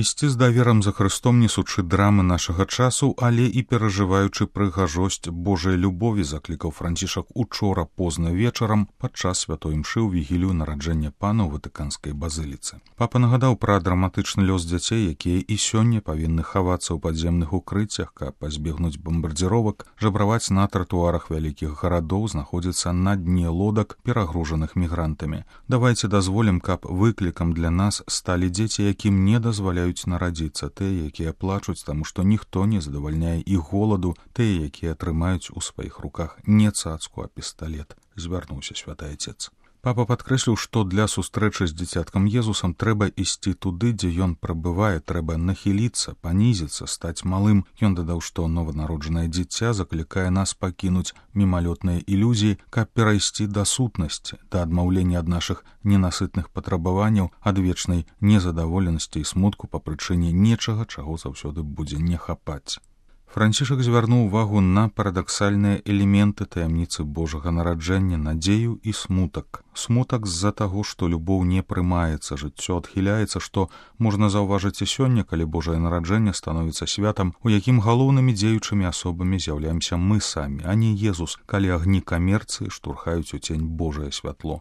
Ісці з даверам за Хрыстом, несучы драмы нашага часу, але і перажываючы прыгажосць Божай любові, заклікаў Францішак учора позна вечарам падчас святой імшы ў вігілію нараджэння Пана ў Ватыканскай базыліцы. Папа нагадаў пра драматычны лёс дзяцей, якія і сёння павінны хавацца ў падземных укрыццях, каб пазбегнуць бамбардзіровак, жабраваць на тратуарах вялікіх гарадоў, знаходзіцца на дне лодак, перагружаных мігрантамі. Давайце дазволім, каб выклікам для нас сталі дзеці, якім не дазваляюць нарадзіцца, тыя, якія плачуць, таму што ніхто не задавальняе іх голаду, тыя, якія трымаюць у сваіх руках не цацку, а пісталет, звярнуўся святы Отец. Папа падкрэсліў, што для сустрэчы з дзіцяткам Езусам трэба ісці туды, дзе ён прабывае, трэба нахіліцца, панізіцца, стаць малым. Ён дадаў, што нованароджанае дзіця заклікае нас пакінуць мімалётныя ілюзіі, каб перайсці да сутнасці, да адмаўлення ад нашых ненасытных патрабаванняў, ад вечнай незадаволенасці і смутку па прычыне нечага, чаго заўсёды будзе не хапаць. Францішак звярнуў увагу на парадаксальныя элементы таямніцы Божага нараджэння, надзею і смутак. Смутак з-за таго, што любоў не прымаецца, жыццё адхіляецца, што можна заўважыць і сёння, калі Божае нараджэнне становіцца святам, у якім галоўнымі дзеючымі асобамі з'яўляемся мы самі, а не Езус, калі агні камерцыі штурхаюць у цень Божае святло.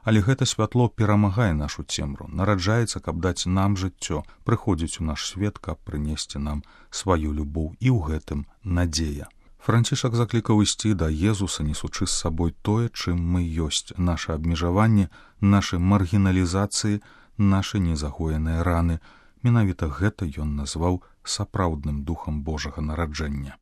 Але гэта святло перамагае нашу цемру, нараджаецца, каб даць нам жыццё, прыходзіць у наш свет, каб прынесці нам сваю любоў, і ў гэтым надзея. Францішак заклікаў ісці да Езуса, несучы з сабой тое, чым мы ёсць, наша абмежаванне, нашы маргіналізацыі, нашы незагоеныя раны. Менавіта гэта ён назваў сапраўдным духам Божага нараджэння.